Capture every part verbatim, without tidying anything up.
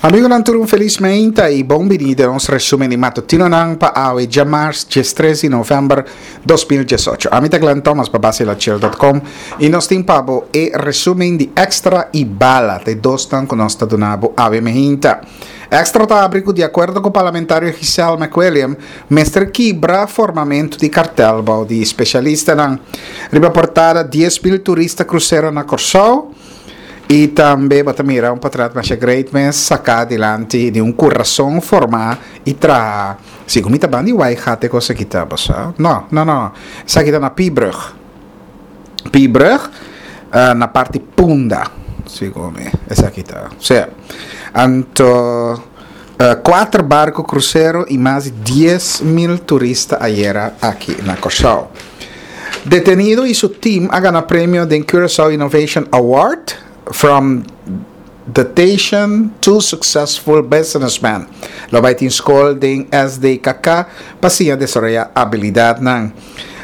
Amigonan tur, un felis mainta i bon bini den nos resumen di matutinonan pa awe djamars diestres di novèmber dos mil diesocho. Ami ta Glenn Thomas pa Basilachel punto com i nos tin pa bo e resumen di Extra i Bala, e dos nan ku nos ta duna bo awe mainta. Extra ta habri ku di akuerdo ku parlamentario Giselle McWilliam, mester kibra formamentu di kartel bou di spesialistanan. Riba portada, dies mil turista krusero na Kòrsou. I tambe bo ta mira un portrèt masha great mes saká dilanti di un kurason formá i traha. Segun mi ta banda di Waaigat e kos aki ta, bo sa? No, no, no. Esaki ta na Piebrug. Piebrug, uh, na parti Punda. Segun mi, esaki ta. Sea. Anto, uh, kuater barku krusero i mas di dies mil turista ayera aki na Kòrsou. Detenido i su team a gana premio di Curaçao Innovation Award "From Detention to Successful Businessman". Lo bai tin skol di S D K K pa asina desaroyá abilidatnan.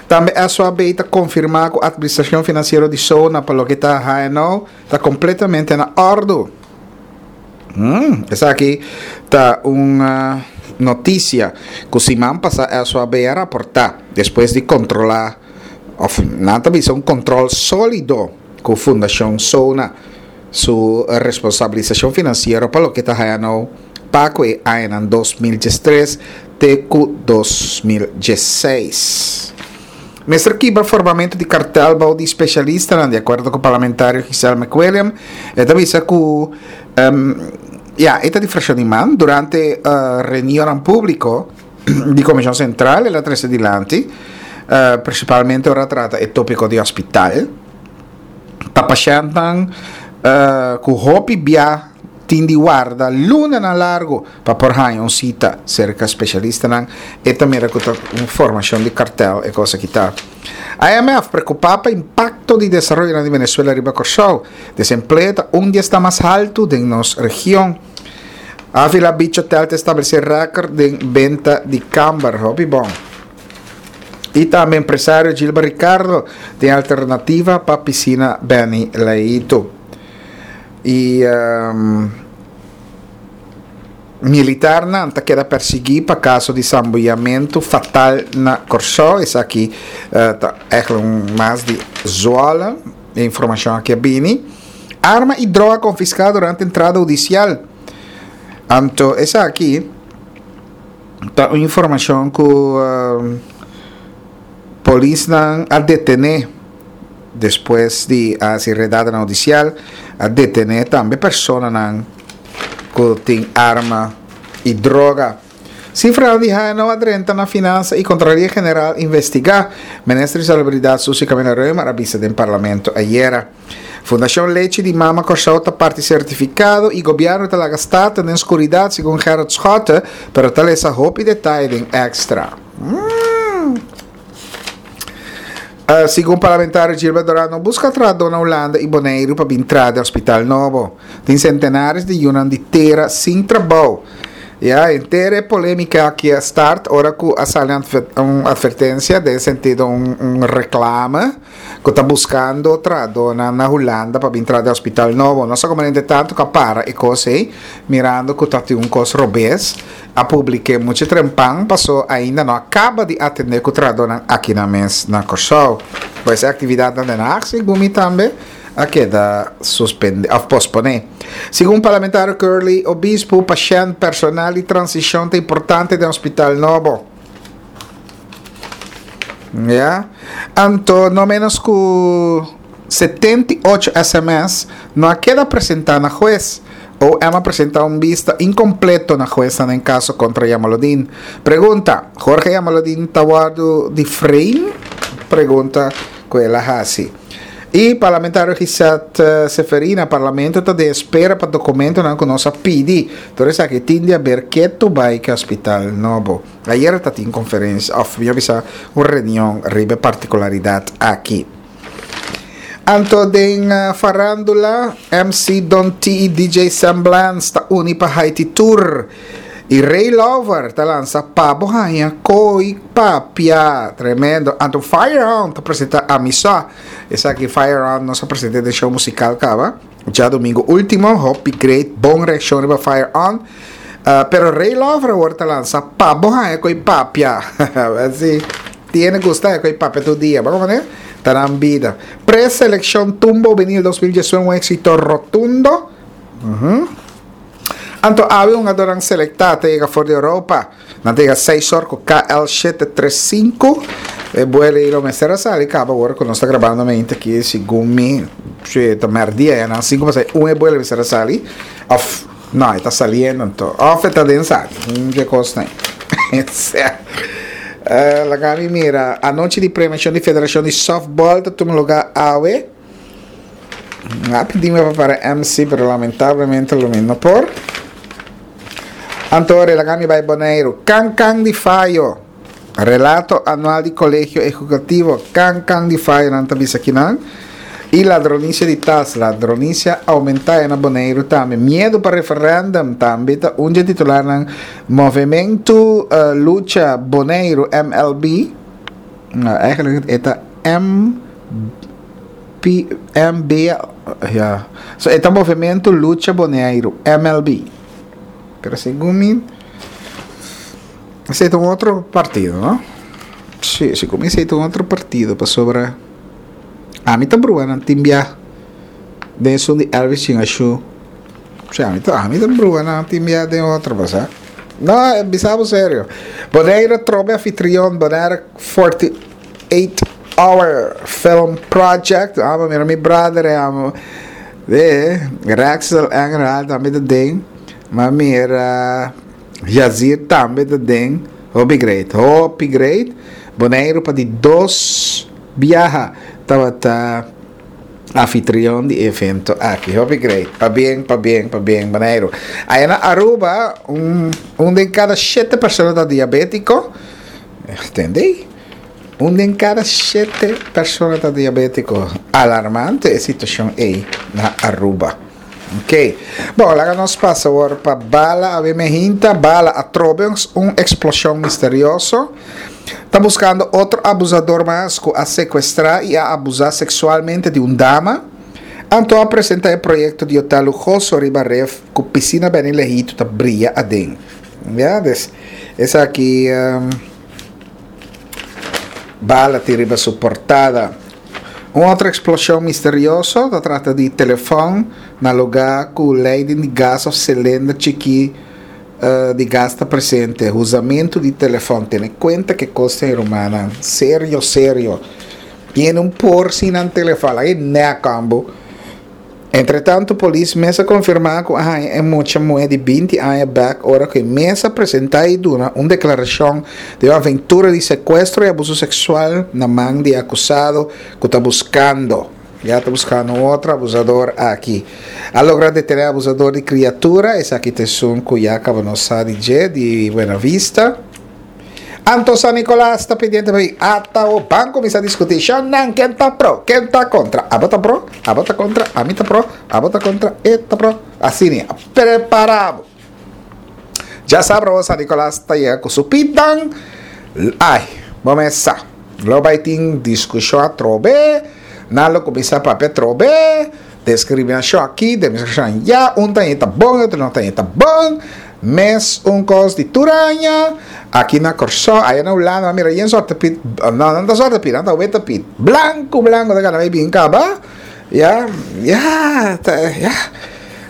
Tambe S O A B ta konfirmá ku administrashon finansiero di SONA pa loke ta H N O ta kompletamente na òrdu. Hum, esaki ta un uh, notisia ku siman pasá S O A B a raportá despues di kontrolá òf nan ta bisa un kontrol sólido ku Fundashon SONA su responsabilisashon finansiero pa loke ta H N O pa e aña dos mil diestres te ku dos mil diesseis. Mester kibra formamentu di kartel bou di spesialista, di akuerdo ku parlamentario Giselle McWilliam, e ta bisa ku um, ja, e ta di frakshon di MAN durante uh, reunion públiko di Komishon Sentral, el a trese dilanti, uh, prinsipalmente ora trata e tópiko di hospital, pa pashèntnan uh, ku hopi bia tin di warda lunanan largu pa por haña un sita serka spesialistanan, i tambe ku un formashon di kartel e kos aki ta. I M F preokupá pa impakto di desaroyo na Venezuela riba Kòrsou. Desempleo ta un dia ta mas haltu den nos region. Avila Beach Hotel ta establesé rékòrt di benta di kamber. Hopi bon. I tambe empresario Gilbert Ricardo tin alternativa pa pisina Benny Leito. I um, militarnan ta keda persiguí pa kaso di sambuyamentu fatal na Kòrsou. Esaki uh, ta eigenlijk un mas di Zwolle. Informashon aki bini. Arma i droga konfiská durante entrada hudisial. Anto, esaki ta un informashon ku uh, polisnan a detené despues di hasi redada hudisial, a detené tambe personanan ku tin arma i droga. Sifra di H N O a drenta na finansa i Kontraloria General investigá. Minister di Salubridat Suzy Camelia-Römer a bisa den parlamento ayera. Fundashon Lechi di Mama Kòrsou ta parti sertifikado i gobièrnu ta laga Staten den skuridat, segun Gerrit Schotte, pero ta lesa hopi detaye den Extra. Mm. Uh, segun parlamentario Gilbert Dorano, buska trahadó na Hulanda i Boneiru pa bin traha den hospital nobo. Tin sentenares di yunan di tera sin trabou. Ja, henter polémika aki a start ora ku a sali un atvertensia, den sentido un, un reklame, ku ta buskando trahadó na, na Hulanda pa bin traha den hospital nobo. No sa kon tantu ku a para e kos ei, mirando ku ta un kos robes, a publiká muchu trempan, pasó ainda no a kaba di atendé ku trahadó aki na mes na Kòrsou. Pues e aktividat na Den Haag, segun mi tambe, a keda suspendé, òf posponé. Segun parlamentario Curly Obispo, pashènt, personal i transishon ta importante den hospital nobo. Ja? Anto, no menos ku setenta i ocho S M S no a keda presentá na hues. O M a presentá un bista inkompleto na hues den kaso kontra Jamaloodin. Pregunta: Jorge Jamaloodin ta wòrdu di frame? Pregunta ku el a hasi. I parlamentario Gisette Seferina, parlamento ta di espera pa dokumentonan ku nos a pidi. Anto, esaki tin di haber ku bai ku hospital nobo. Ayera tabatin konferensia, òf mi bisa un reunion riba partikularidat aki. Anto den uh, farándula, M C Don T i D J Semblance ta uni pa Haiti Tour. I Ray Lover ta lansa Pa Bo Haña Ko'i Papia. Tremendo. Anto Fire On ta presentá Amisa. Esaki Fire On nos a presentá den show musikal kaba djadumingu último. Hopi great. Bon reakshon riba Fire On. Uh, pero Ray Lover awor ta lansa Pa Bo Haña Ko'i Papia. Así. Tiene gusta ko'i papia tur dia. Ban manera? Ta nan bida. Preselekshon Tumbo Vinil dos mil diesun un éksito rotundo. Uh-huh. Anto awe un hungadónan selektá ta yega for di Europa. Nan ta yega seis or ku K L shete tres sinku. E buelo ei lo mester a sali kaba ora ku nos ta grabando mente aki segun mi. Si ta merdia ya nan sinku pasai un e buelo mester a sali. Of no, e ta saliendo anto. Of e ta den sali. Un dje kosnan ei. Sea. Laga mi mira. Anochi di premiashon di Federashon di Softball ta tuma lugá awe. A pidi mi pa para M C, pero lamentablemente lo mi no por. Anto laga mi bai Boneiru. Kan kan di fayo. Relato anual di Kolegio Ejecutivo. Kan kan di fayo nan ta bisa kinan. I ladronisia di tas. Ladronisia aumenta na Boneiru tambe. Miedu pa referendum tambe ta un dje titularnan. Movimento, eh, Lucha Boneiru M L B. No, eigenlijk e ta M P, M B, ja. So, e ta Movimento Lucha Boneiru, M L B. Pero segun mi, esei ta un otro partido, no? Sí, segun mi esei ta un otro partido pasobra ami ta brua nan tin bia den esun di Elvis Chingashu. Sí, ami ta, ami ta brua nan tin bia den otro, pasa. No, bisa bo serio. Bonaire trobe anfitrion Bonaire forty-eight Hour Film Project. Amo mira mi brother, amo. De, Rexel Engelhard tambe ta den. Ma mira Yazir tambe ta den. Hopi great, hopi great. Bonaire pa di dos biaha tabata anfitrion di evento aki. Hopi great. Pa bien, pa bien, pa bien, Bonaire. Allá na Aruba, un, un den cada siete persona ta diabético. Entendí? Un den cada siete persona ta diabético. Alarmante e situación ei na Aruba. Ok. Bon, laga nos pasa awor pa Bala. A ver, me hinta. Bala atrobe un explosión misterioso. Ta buscando otro abusador mas ku a secuestra y a abusar sexualmente de un dama. Anto a presenta el proyecto de hotel lujoso riba ref ku piscina beni lejito ta brilla aden. Ya, des, es aquí, um, Bala ti riba su portada. Un otra explosión misterioso, ta trata di telefon na lugar ku leiding di gas of cilindro chiqui, eh, di gas ta presente. Usamento di telefon, tiene cuenta que costa en romana. Serio, serio. Tiene un por sin an telefon, ahí ne cambo. Entre tanto, polis mesa confirma que ah, é mucha mulher de vinte anos back, ora que mesa presenta e duna una declaración de una aventura de secuestro y abuso sexual na man de acusado que está buscando. Ya está buscando otro abusador aquí. A lograr detener abusador de criatura, es aquí te son cuyaca bonosa de de Buena Vista. Anto San Nicolás está pendiente de hasta o banco comienza a discutir. Shonan, ¿quién está pro? ¿Quién está contra? ¿A vota pro? ¿A vota contra? ¿A mí está pro? ¿A vota contra? ¿Está pro? Así ni. Preparado. Ya sabrá, San Nicolás está llegando con su pitan. Ay, vamos a Lo baitín discusión a trobe. Nalo comienza a papel trobe. Discriminación aquí, discriminación allá. Un tañeta bon, otro no tañeta bon. Mes un cos di turaña. Aquí na Corsó, allá na Holanda, mira, y en sorte pit, no, no anda sorte pit, anda weta pit. Blanco, blanco, de gana, bien caba. Ya, ya, ta, ya.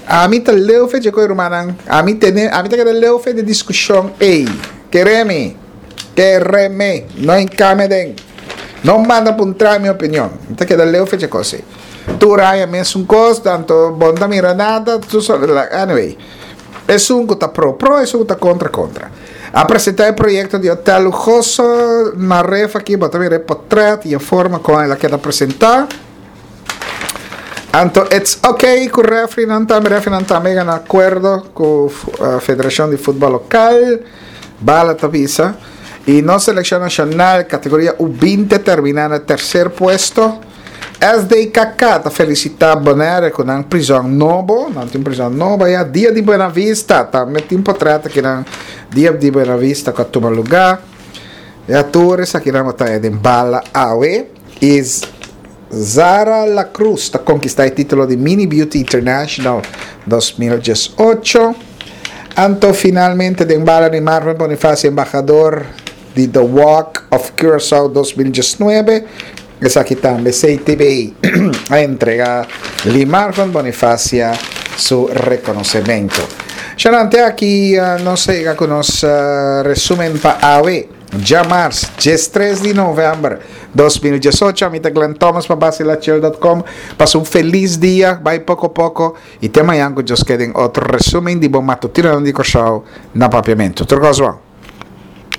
A mí te leo fe, chico, hermana. A mí te, a mí te queda leo fe de discusión. Ey, quereme, quereme, no encameden. No manda apuntar mi opinión. Te queda leo fe, chico, sí. Turaña, mes un cos, tanto bonda mira nada, tú solo, la, anyway. Es un que está pro, pro, es un que está contra, contra. A presentar el proyecto de hotel lujoso, na ref aquí, bota ver el portrait y la forma con la que está presentar. Anto, it's okay con refri nan tambe, refri nan tambe en acuerdo con, eh, Federación de Fútbol Local, Bala Tavisa. Y no selección nacional, categoría U veinte termina en el tercer puesto. S D K K ta felicita Bonaire cu un prison nobo, nan tin prison nobo, y Dia di Buena Vista, tambe tin portret aki na Dia di Buena Vista cu a tuma lugar. Y tur esaki nan ta den bala awe. Is Zara La Cruz ta conkista e titulo di Mini Beauty International dos mil diesocho. Anto finalmente den bala di Marvin Bonifacio, embahador di The Walk of Curaçao dos mil diesnuebe. Esaki tambe C T B a entrega Lee Marvin Bonifacia su reconocimento. Sharante aki uh, nos a yega cu nos uh, resumen pa awe, diamars, diestres di november dos mil diesocho. Ami ta Glenn Thomas pa basilachel punto com. Pasa un feliz dia, bay poco poco y te mañan cu Dios kier otro resumen di bo matutino di Corsou na Papiamento. Tur cos bon.